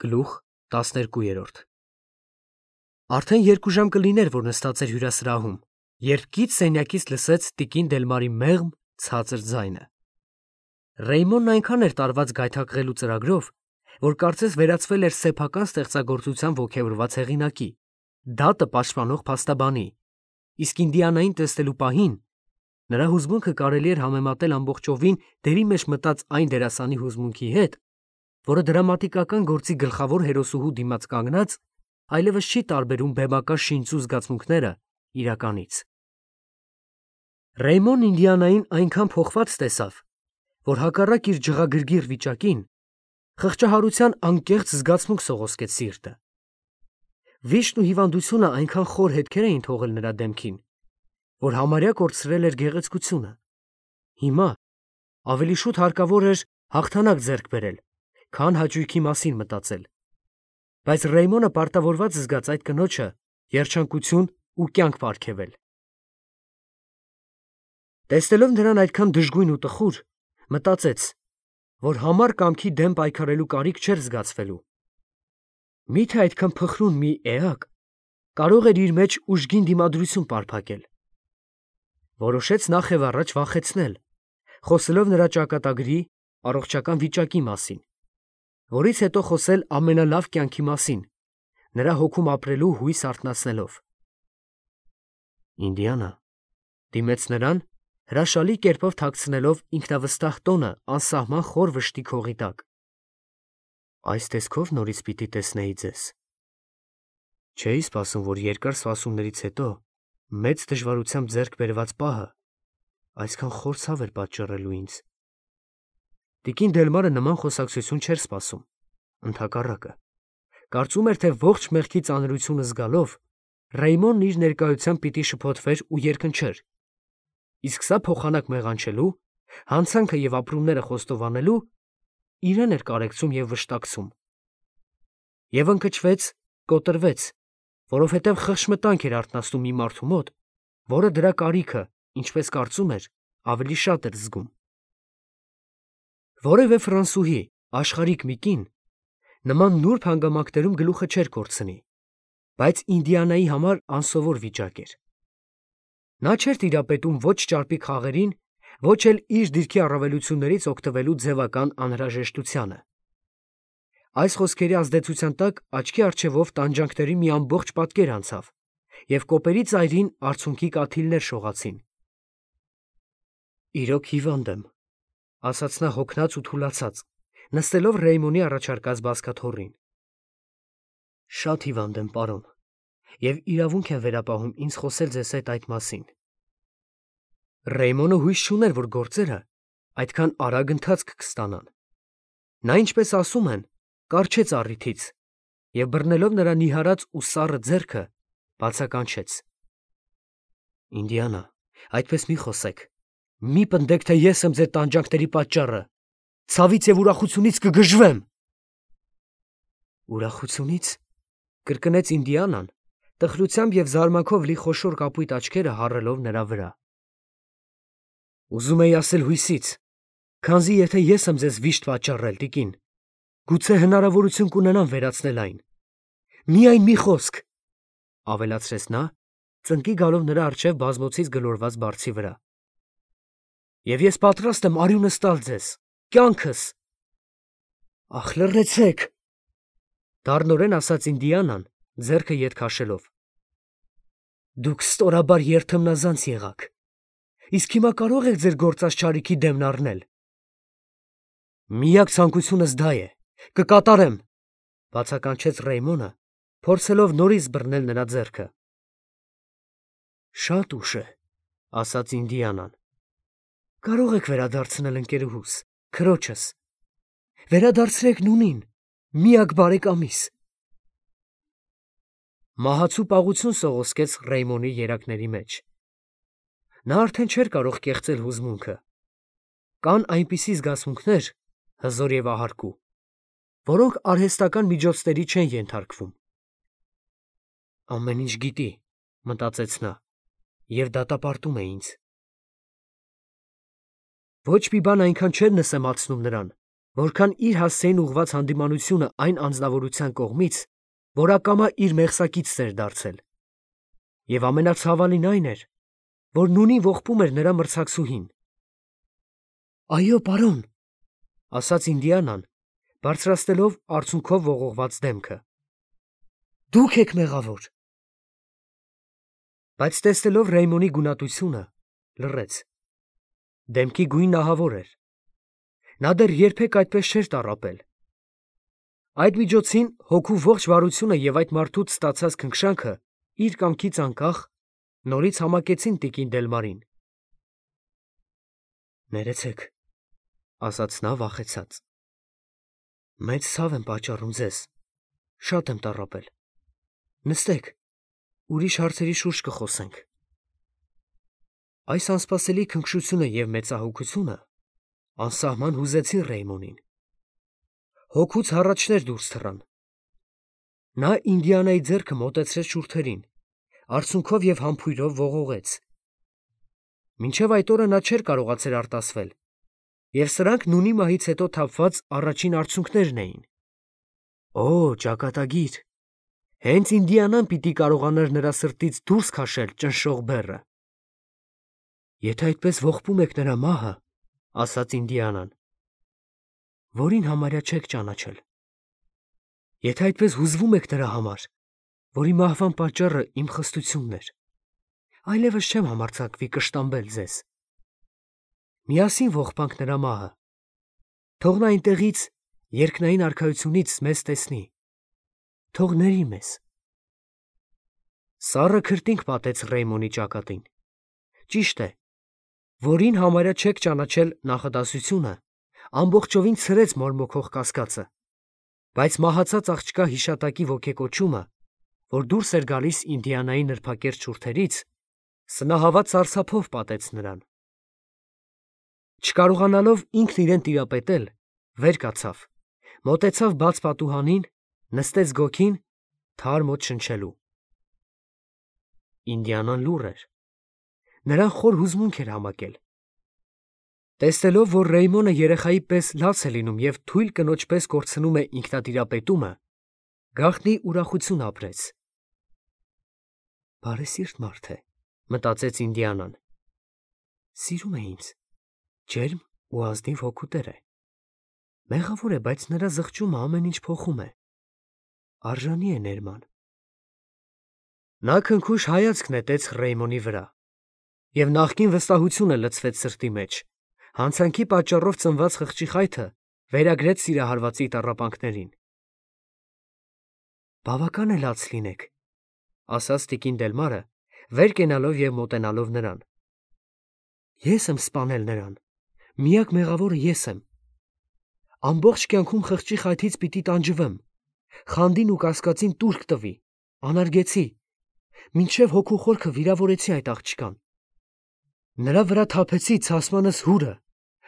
Գլուխ 12 Արդեն 2 ժամ կլիներ, որ նստած էր հյուրասրահում, երբ կից սենյակից լսեց տիկին Դելմարի մեղմ, ցածր ձայնը։ Ռեյմոնն այնքան էր տարված գայթակղելու ծրագրով, որ կարծես վերածվել էր սեփական ստեղծագործության ոգևորված հեղինակի, դատը պաշտպանող փաստաբանի, իսկ Ինդիանային տեսնելու պահին նրա հուզմունքը կարելի էր համեմատել ամբողջովին դերի մեջ մտած այն դերասանի հուզմունքի հետ, որը դրամատիկական գործի գլխավոր հերոսուհու դիմաց կանգնած այլևս չի տարբերում բեմական շինծու զգացմունքները իրականից։ Ռեյմոն Ինդիանային այնքան փոխված տեսավ, որ հակառակ իր ջղագրգիռ վիճակին խղճահարության անկեղծ զգացմունք սողոսկեց սիրտը։ Վիշտն ու հիվանդությունը այնքան խոր հետքեր էին թողել նրա դեմքին, որ համարյա կորցրել էր գեղեցկությունը։ Հիմա ավելի շուտ հարկավոր էր հաղթանակ ձեռք բերել, քան հաճույքի մասին մտածել։ Բայց Ռեյմոնը պարտավորված զգաց այդ կնոջը երջանկություն ու կյանք պարգևել։ Տեսնելով նրան այդքան դժգույն ու տխուր, մտածեց, որ համառ կամքի դեմ պայքարելու կարիք չէր զգացվելու։ Միթե այդքան փխրուն մի էակ կարող էր իր մեջ ուժգին դիմադրություն պարփակել։ Որոշեց նախ եւ առաջ վախեցնել, խոսելով նրա ճակատագրի առողջական վիճակի մասին, որից հետո խոսել ամենալավ կյանքի մասին, նրա հոգում ապրելու հույս արթնացնելով։ Ինդիանա դիմեց նրան, հրաշալի կերպով թաքցնելով ինքնավստահ տոնը անսահման խոր վշտի քողի տակ։ Այս տեսքով նորից պիտի տեսնեի ձեզ։ Չէի սպասում, որ երկար սպասումներից հետո մեծ դժվարությամբ ձեռք բերված պահը այսքան խոր ցավ էր պատճառելու ինձ։ Տիկին Դելմարը նման խոսակցություն չէր սպասում, ընդհակառակը, կարծում էր, թե ողջ մեղքի ծանրությունը զգալով Ռեյմոնն իր ներկայությամբ պիտի շփոթվեր ու երկնչեր, իսկ սա փոխանակ մեղանչելու, հանցանքը եւ ապրումները խոստովանելու իրեն էր կարեկցում եւ վշտակցում։ Եվ ընկճվեց, կոտրվեց, որովհետև խղճմտանք էր արթնացնում մի մարդու մոտ, որը դրա կարիքը, ինչպես կարծում էր, ավելի շատ էր զգում։ Որևէ ֆրանսուհի, աշխարհիկ մի կին, նման նուրբ հանգամանքներում գլուխը չէր կորցնի, բայց Ինդիանայի համար անսովոր վիճակ էր։ Նա չէր տիրապետում ոչ ճարպիկ խաղերին, ոչ էլ իր դիրքի առավելություններից օգտվելու ձևական անհրաժեշտությանը։ Այս խոսքերի ազդեցության տակ աչքի առջևով տանջանքների մի ամբողջ պատկեր անցավ, և կոպերի ծայրին արցունքի կաթիլներ շողացին։ Իրոք հիվանդ եմ, ասաց նա հոգնած ու թուլացած, նստելով Ռեյմոնի առաջարկած բազկաթոռին։ Շատ հիվանդ եմ, պարոն, և իրավունք եմ վերապահում ինձ խոսել ձեզ հետ այդ մասին։ Ռեյմոնը հույս չուներ, որ գործերը այդքան արագ ընթացք կստանան։ Նա, ինչպես ասում են, կառչեց առիթից և բռնելով նրա նիհարած ու սառը ձեռքը, բացականչեց. Ինդիանա, այդպես մի խոսեք, մի պնդեք, թե ես եմ ձեր տանջանքների պատճառը, ցավից և ուրախությունից կգժվեմ։ Ուրախությունից, կրկնեց Ինդիանան, տխրությամբ և զարմանքով լի խոշոր կապույտ աչքերը հառելով նրա վրա։ Ուզում էի ասել հույսից, քանզի եթե ես եմ ձեզ վիշտ պատճառել, տիկին, գուցե հնարավորություն կունենամ վերացնել այն։ Միայն մի խոսք, ավելացրեց նա, ծնկի գալով նրա առջև բազմոցից գլորված բարձի վրա։ Եվ ես պատրաստ եմ արյունս տալ ձեզ, կյանքս։ Ախ, լռեցեք, դառնորեն ասաց Ինդիանան, ձեռքը ետ քաշելով։ Դուք ստորաբար երթմնազանց եղաք, իսկ հիմա կարող եք ձեր գործած չարիքի դեմն առնել։ Միակ ցանկությունս դա է, կկատարեմ, բացականչեց Ռեյմոնը, փորձելով նորից բռնել նրա ձեռքը։ Շատ ուշ է, ասաց Ինդիանան։ Կարող եք վերադարձնել ընկերուհուս, քրոջս։ Վերադարձրեք նույնին, միակ բարեկամիս։ Մահացու պաղություն սողոսկեց Ռեյմոնի երակների մեջ։ Նա արդեն չէր կարող կեղծել հուզմունքը։ Կան այնպիսի զգացմունքներ, հզոր և ահարկու, որոնք արհեստական միջոցների չեն ենթարկվում։ Ամեն ինչ գիտի, մտածեց նա, և դատապարտում է ինձ։ Ոչ մի բան այնքան չէր նսեմացնում նրան, որքան իր հասցեին ուղված հանդիմանությունը այն անձնավորության կողմից, որ ակամա իր մեղսակիցն էր դարձել։ Եվ ամենացավալին այն էր, որ նույնին ողբում էր նրա մրցակցուհին։ «Այո, պարոն», ասաց Ինդիանան, բարձրացնելով արցունքով ողողված դեմքը։ «Դուք եք մեղավոր»։ Բայց տեսնելով Ռեյմոնի գունատությունը, լռեց։ Դեմքի գույնն ահավոր էր։ Նա դեռ երբեք այդպես չէր տառապել։ Այդ միջոցին հոգու ողջ վարությունը և այդ մարդուց ստացած քնքշանքը իր կամքից անկախ նորից համակեցին տիկին Դելմարին։ «Ներեցեք», ասաց նա վախեցած։ «Մեծ ցավ եմ պատճառում ձեզ, շատ եմ տառապել։ Նստեք, ուրիշ հարցերի շուրջ կխոսենք»։ Այս անսպասելի քնքշությունը և մեծահոգությունը անսահման հուզեցին Ռեյմոնին։ Հոգուց հառաչներ դուրս թռան։ Նա Ինդիանայի ձեռքը մոտեցրեց շուրթերին, արցունքով և համբույրով ողողեց։ Մինչև այդ օրը նա չէր կարողացել արտասվել, և սրանք նունի մահից հետո թափված առաջին արցունքներն էին։ Օ, ճակատագիր, հենց Ինդիանան պիտի կարողանար նրա սրտից դուրս քաշել ճնշող բեռը։ «Եթե այդպես ողբում եք նրա մահը, — ասաց Ինդիանան, — որին համարյա չեք ճանաչել։ Եթե այդպես հուզվում եք նրա համար, որի մահվան պատճառը իմ խստությունն էր, այլևս չեմ համարձակվի կշտամբել ձեզ։ Միասին ողբանք նրա մահը, թող նա այնտեղից երկնային արքայությունից մեզ տեսնի, թող ների մեզ»։ Սառը քրտինք պատեց Ռեյմոնի ճակատին։ Ճիշտ է, որին համարյա չեք ճանաչել նախադասությունը ամբողջովին ցրեց մորմոքող կասկածը, բայց մահացած աղջկա հիշատակի ոգեկոչումը, որ դուրս էր գալիս Ինդիանայի նրբակերտ շուրթերից, սնահավատ սարսափով պատեց նրան։ Չկարողանալով ինքն իրեն տիրապետել, վեր կացավ, մոտեցավ բաց պատուհանին, նստեց գոգին, թար մոտ շնչելու։ Ինդիանան լուռ էր։ Նրան խոր հուզմունք էր համակել։ Տեսնելով, որ Ռեյմոնը երեխայի պես լաց է լինում և թույլ կնոջ պես կորցնում է ինքնատիրապետումը, գաղտնի ուրախություն ապրեց։ «Բարեսիրտ մարդ է», մտածեց Ինդիանան։ «Սիրում է ինձ, ջերմ ու ազնիվ հոգու տեր է։ Մեղավոր է, բայց նրա զղջումը ամեն ինչ փոխում է։ Արժանի է ներման»։ Նա քնքուշ հայացք նետեց Ռեյմոնի վրա, և նախկին վստահությունը լցվեց սրտի մեջ, հանցանքի պատճառով ծնված խղճի խայթը վերագրեց սիրահարվածի տառապանքներին։ «Բավական է լաց լինեք», ասաց տիկին Դելմարը, վեր կենալով և մոտենալով նրան։ «Ես եմ սպանել նրան, միակ մեղավորը ես եմ։ Ամբողջ կյանքում խղճի խայթից պիտի տանջվեմ, խանդին ու կասկածին տուրք տվի, անարգեցի, մինչև հոգու խորքը վիրավորեցի այդ աղջկան։ Նրա վրա թափեցի ցասմանս հուրը,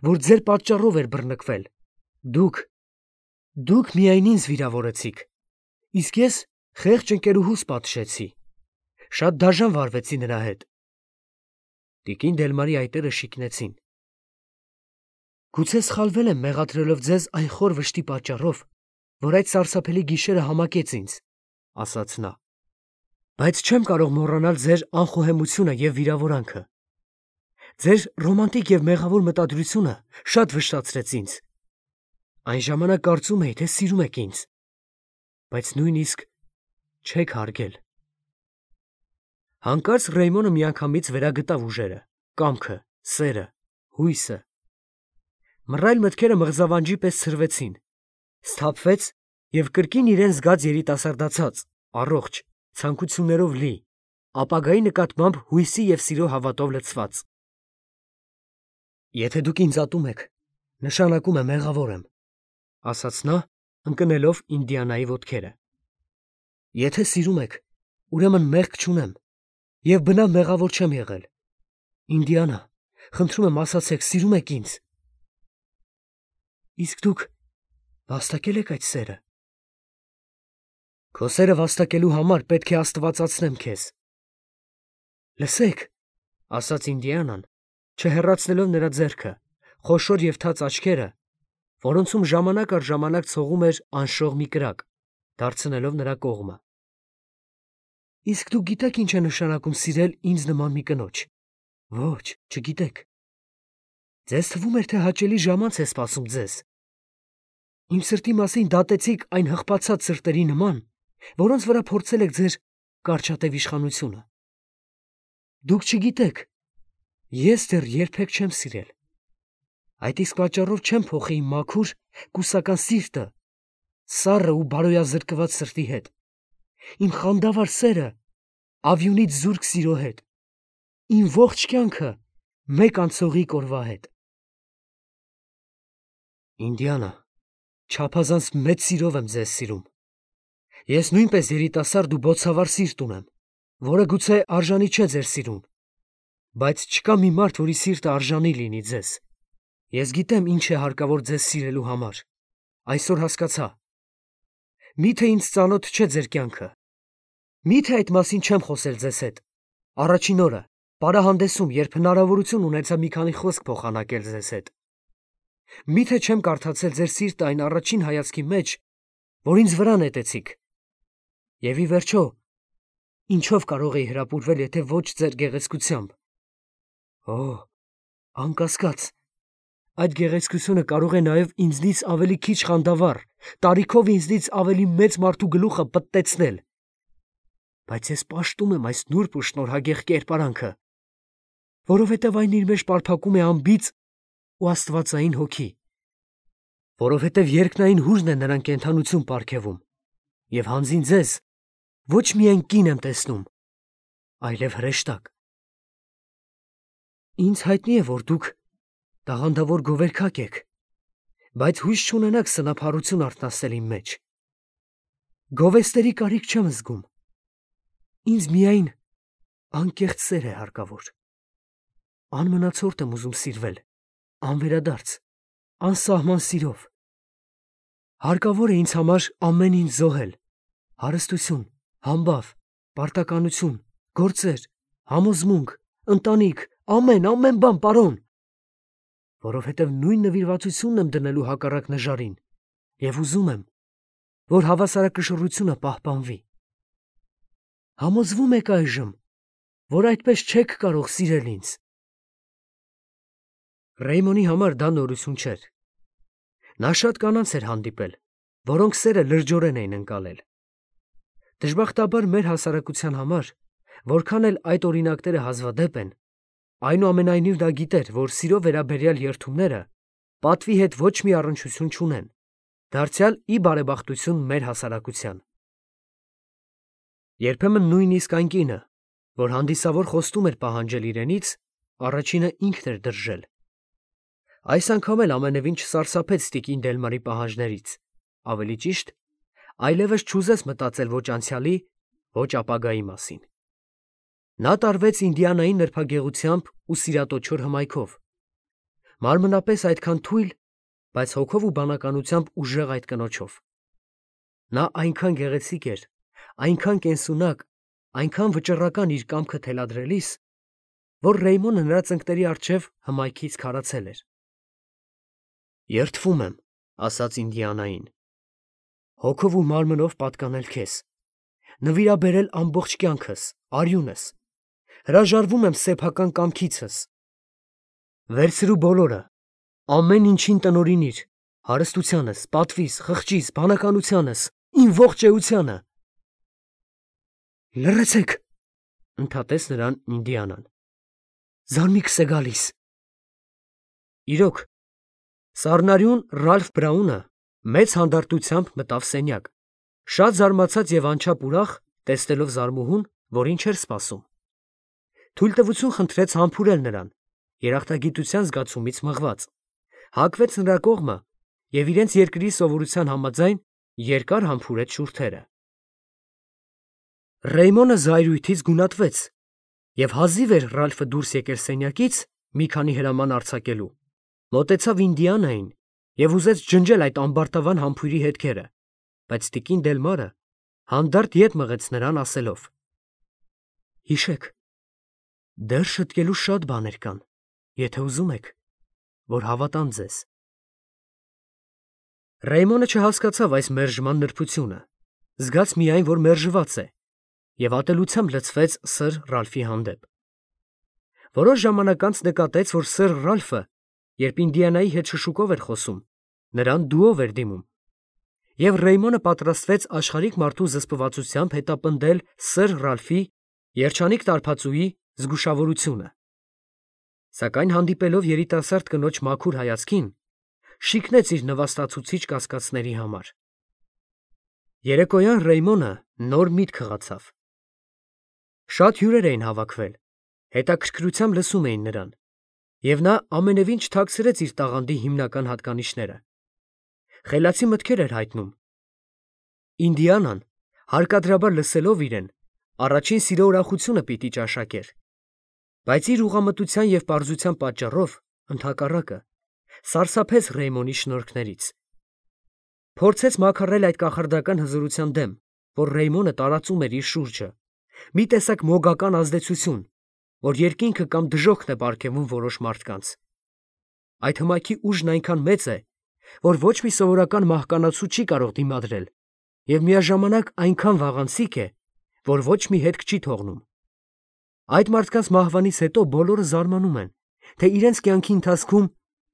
որ ձեր պատճառով էր բռնկվել։ Դուք միայն ինձ վիրավորեցիք, իսկ ես խեղճ ընկերուհուս պատժեցի, շատ դաժան վարվեցի նրա հետ»։ Տիկին Դելմարի այտերը շիկնեցին։ «Գուցե սխալվել եմ մեղադրելով ձեզ այն խոր վշտի պատճառով, որ այդ սարսափելի գիշերը համակեց ինձ», ասաց նա։ «Բայց չեմ կարող մոռանալ ձեր անխոհեմությունը և վիրավորանքը։ Ձեր ռոմանտիկ և մեղավոր մտադրությունը շատ վշտացրեց ինձ։ Այն ժամանակ կարծում էի, թե սիրում եք ինձ, բայց նույնիսկ չեք հարգել»։ Հանկարծ Ռեյմոնը միանգամից վերագտավ ուժերը, կամքը, սերը, հույսը։ Մռայլ մտքերը մղզավանջի պես ցրվեցին, սթափվեց և կրկին իրեն զգաց երիտասարդացած, առողջ, ցանկություններով լի, ապագայի նկատմամբ հույսի և սիրո հավատով լցված։ «Եթե դուք ինձ ատում եք, նշանակում է մեղավոր եմ», ասաց նա, ընկնելով Ինդիանայի ոտքերը։ «Եթե սիրում եք, ուրեմն մեղք չունեմ և բնավ մեղավոր չեմ եղել։ Ինդիանա, խնդրում եմ, ասացեք, սիրում եք ինձ։ Իսկ դուք վաստակել եք այդ սերը»։ «Քո սերը վաստակելու համար պետք է աստվածացնեմ քեզ»։ «Լսեք», ասաց Ինդիանան, չհեռացնելով նրա ձեռքը, խոշոր և թաց աչքերը, որոնցում ժամանակ առ ժամանակ ցողում էր անշող մի կրակ, դարձնելով նրա կողմը։ Իսկ դուք գիտեք ինչ է նշանակում սիրել ինձ նման մի կնոջ։ Ոչ, չգիտեք։ Ձեզ թվում էր, թե հաճելի ժամանց է սպասում ձեզ։ Իմ սրտի մասին դատեցիք այն հղպացած սրտերի նման, որոնց վրա փորձել եք ձեր կարճատև իշխանությունը։ Դուք չգիտեք, ես դեռ երբեք չեմ սիրել։ Այդ իսկ պատճառով չեմ փոխի իմ մաքուր, կուսական սիրտը սառը ու բարոյազրկված սրտի հետ, իմ խանդավառ սերը ավյունից զուրկ սիրո հետ, իմ ողջ կյանքը մեկ անցողիկ օրվա հետ։ Ինդիանա, չափազանց մեծ սիրով եմ ձեզ սիրում։ Ես նույնպես երիտասարդ ու բոցավառ սիրտ ունեմ, որը գուցե արժանի չէ ձեր սիրուն, բայց չկա մի մարդ, որի սիրտը արժանի լինի ձեզ։ Ես գիտեմ ինչ է հարկավոր ձեզ սիրելու համար։ Այսօր հասկացա։ Միթե ինձ ծանոթ չէ ձեր կյանքը։ Միթե այդ մասին չեմ խոսել ձեզ հետ։ Առաջին օրը, պարահանդեսում, երբ հնարավորություն ունեցա մի քանի խոսք փոխանակել ձեզ հետ։ Միթե չեմ կարդացել ձեր սիրտը այն առաջին հայացքի մեջ, որ ինձ վրա նետեցիք։ Եվ ի վերջո, ինչով կարող էի հրապուրվել, եթե ոչ ձեր գեղեցկությամբ։ Օ, անկասկած, այդ գեղեցկությունը կարող է նաև ինձնից ավելի քիչ խանդավառ, տարիքով ինձնից ավելի մեծ մարդու գլուխը պտտեցնել։ Բայց ես պաշտում եմ այս նուրբ ու շնորհագեղ կերպարանքը, որովհետև այն իր մեջ պարփակում է անբիծ ու աստվածային հոգի, որովհետև երկնային հույրն է նրան կենդանություն պարգևում, և հանձին ձեզ ոչ միայն կին եմ տեսնում, այլև հրեշտակ։ Ինձ հայտնի է, որ դուք տաղանդավոր գովերգակ եք, բայց հույս չունենաք սնափառություն արթնացնել իմ մեջ։ Գովեստերի կարիք չեմ զգում։ Ինձ միայն անկեղծ սեր է հարկավոր։ Անմնացորդ եմ ուզում սիրվել, անվերադարձ, անսահման սիրով։ Հարկավոր է ինձ համար ամեն ինչ զոհել, հարստություն, համբավ, պարտականություն, գործեր, համոզմունք, ընտանիք, ամեն բան, պարոն, որովհետև նույն նվիրվածությունն եմ դնելու հակառակ նժարին և ուզում եմ, որ հավասարակշռությունը պահպանվի։ Համոզվում եք այժմ, որ այդպես չեք կարող սիրել ինձ։ Ռեյմոնի համար դա նորություն չէր։ Նա շատ կանանց էր հանդիպել, որոնք սերը լրջորեն էին ընկալել։ Դժբախտաբար մեր հասարակության համար, որքան էլ այդ օրինակները հազվադեպ են, այնուամենայնիվ դա գիտեր, որ սիրո վերաբերյալ երդումները պատվի հետ ոչ մի առնչություն չունեն, դարձյալ ի բարեբախտություն մեր հասարակության։ Երբեմն նույնիսկ այն կինը, որ հանդիսավոր խոստում էր պահանջել իրենից, առաջինը ինքն էր դրժել։ Այս անգամ էլ ամենևին չսարսափեց տիկին Դելմարի պահանջներից, ավելի ճիշտ, այլևս չուզեց մտածել ոչ անցյալի, ոչ ապագայի մասին։ Նա տարվեց Ինդիանայի նրբագեղությամբ ու սիրատոչոր հմայքով, մարմնապես այդքան թույլ, բայց հոգով ու բանականությամբ ուժեղ այդ կնոջով։ Նա այնքան գեղեցիկ էր, այնքան կենսունակ, այնքան վճռական իր կամքը թելադրելիս, որ Ռեյմոնը նրա ծնկների առջև հմայքից քարացել էր։ Երդվում եմ, ասաց Ինդիանային, հոգով ու մարմնով պատկանել քեզ, նվիրաբերել ամբողջ կյանքս, արյունս, հրաժարվում եմ սեփական կամքիցս։ Վերցրու բոլորը, ամեն ինչին տնօրինիր, հարստությանս, պատվիս, խղճիս, բանականությանս, իմ ողջ էությանը։ Լռեցեք, ընդհատեց նրան Ինդիանան։ Զարմիքս է գալիս։ Իրոք, սառնարյուն Ռալֆ Բրաունը մեծ հանդարտությամբ մտավ սենյակ, շատ զարմացած և անչափ ուրախ, տեսնելով զարմուհուն, որին չէր սպասում։ Թույլտվություն խնդրեց համբուրել նրան, երախտագիտության զգացումից մղված, հակվեց նրա կողմը և իրենց երկրի սովորության համաձայն երկար համբուրեց շուրթերը։ Ռեյմոնը զայրույթից գունատվեց և հազիվ էր Ռալֆը դուրս եկել սենյակից մի քանի հրաման արձակելու, մոտեցավ Ինդիանային և ուզեց ջնջել այդ ամբարտավան համբույրի հետքերը, բայց տիկին Դելմարը հանդարտ ետ մղեց նրան, ասելով. Հիշեք, դեռ շտկելու շատ բաներ կան, եթե ուզում եք, որ հավատամ ձեզ։ Ռեյմոնը չհասկացավ այս մերժման նրբությունը, զգաց միայն, որ մերժված է, և ատելությամբ լցվեց սըր Ռալֆի հանդեպ։ Որոշ ժամանակ անց նկատեց, որ սըր Ռալֆը, երբ Ինդիանայի հետ շշուկով էր խոսում, նրան դուով էր դիմում, և Ռեյմոնը պատրաստվեց աշխարհիկ մարդու զսպվածությամբ հետապնդել սըր Ռալֆի երջանիկ տարբածուի զգուշավորությունը։ Սակայն հանդիպելով երիտասարդ կնոջ մաքուր հայացքին, շիկնեց իր նվաստացուցիչ կասկածների համար։ Երեկոյան Ռեյմոնը նոր միտք հղացավ։ Շատ հյուրեր էին հավաքվել, հետաքրքրությամբ լսում էին նրան, և նա ամենևին չթաքցրեց իր տաղանդի հիմնական հատկանիշները։ Խելացի մտքեր էր հայտնում։ Ինդիանան, հարկադրաբար լսելով իրեն, առաջին սիրո ուրախությունը պիտի ճաշակեր, բայց իր ուղղամտության և պարզության պատճառով, ընդհակառակը, սարսափեց Ռեյմոնի շնորհքներից։ Փորձեց մաքրել այդ կախարդական հզորության դեմ, որ Ռեյմոնը տարածում էր իր շուրջը, մի տեսակ մոգական ազդեցություն, որ երկինքը կամ դժոխքն է պարգևում որոշ մարդկանց։ Այդ հմայքի ուժն այնքան մեծ է, որ ոչ մի սովորական մահկանացու չի կարող դիմադրել, և միաժամանակ այնքան վաղանցիկ է, որ ոչ մի հետք չի թողնում։ Այդ մարդկանց մահվանից հետո բոլորը զարմանում են, թե իրենց կյանքի ընթացքում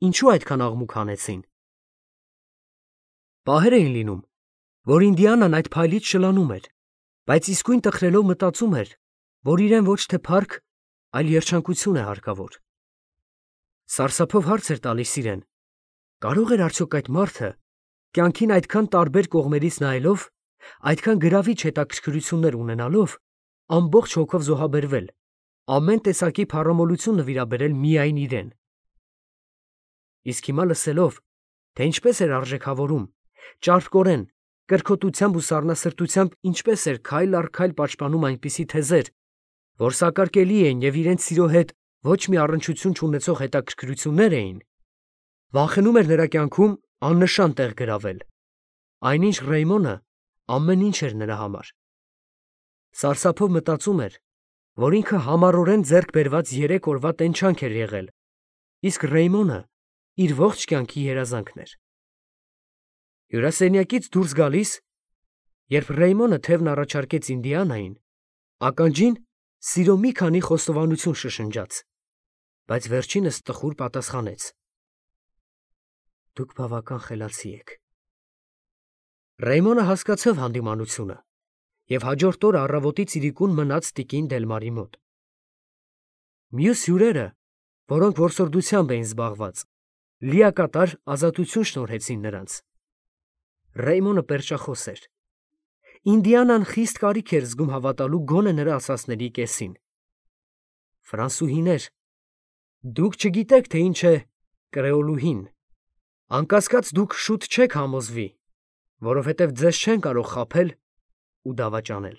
ինչու այդքան աղմուկ հանեցին։ Պահեր էին լինում, որ Ինդիանան այդ փայլից շլանում էր, բայց իսկույն տխրելով մտածում էր, որ իրեն ոչ թե փառք, այլ երջանկություն է հարկավոր։ Սարսափով հարց էր տալիս իրեն. կարող էր արդյոք այդ մարդը, կյանքին այդքան տարբեր կողմերից նայելով, այդքան գրավիչ հետաքրքրություններ ունենալով, ամբողջ հոգով զոհաբերվել, ամեն տեսակի փառամոլություն նվիրաբերել միայն իրեն։ Իսկ հիմա լսելով, թե ինչպես էր արժեքավորում, ճարպկորեն, կրքոտությամբ ու սառնասրտությամբ ինչպես էր քայլ առ քայլ պաշտպանում այնպիսի թեզեր, որ սակարկելի էին և իրենց սիրո հետ ոչ մի առնչություն չունեցող հետաքրքրություններ էին, վախենում էր նրա կյանքում աննշան տեղ գրավել։ Այնինչ Ռեյմոնը ամեն ինչ էր նրա համար։ Սարսափով մտածում էր, որ ինքը համառորեն ձեռք բերված 3 օրվա տենչանք էր եղել, իսկ Ռեյմոնը իր ողջ կյանքի երազանքն էր։ Հյուրասենյակից դուրս գալիս, երբ Ռեյմոնը թևն առաջարկեց Ինդիանային, ականջին սիրո մի քանի խոստովանություն շշնջաց, բայց վերջինս տխուր պատասխանեց. «Դուք բավական խելացի եք»։ Ռեյմոնը հասկացավ հանդիմանությունը և հաջորդ օրը առավոտից իրիկուն մնաց տիկին Դելմարի մոտ։ Մյուս հյուրերը, որոնք որսորդությամբ էին զբաղված, լիակատար ազատություն շնորհեցին նրանց։ Ռեյմոնը պերճախոս էր։ Ինդիանան խիստ կարիք էր զգում հավատալու գոնե նրա ասածների կեսին։ Ֆրանսուհիներ, դուք չգիտեք, թե ինչ է կրեոլուհին։ Անկասկած դուք շուտ չեք համոզվի, որովհետև ձեզ չեն կարող խաբել ու դավաճանել։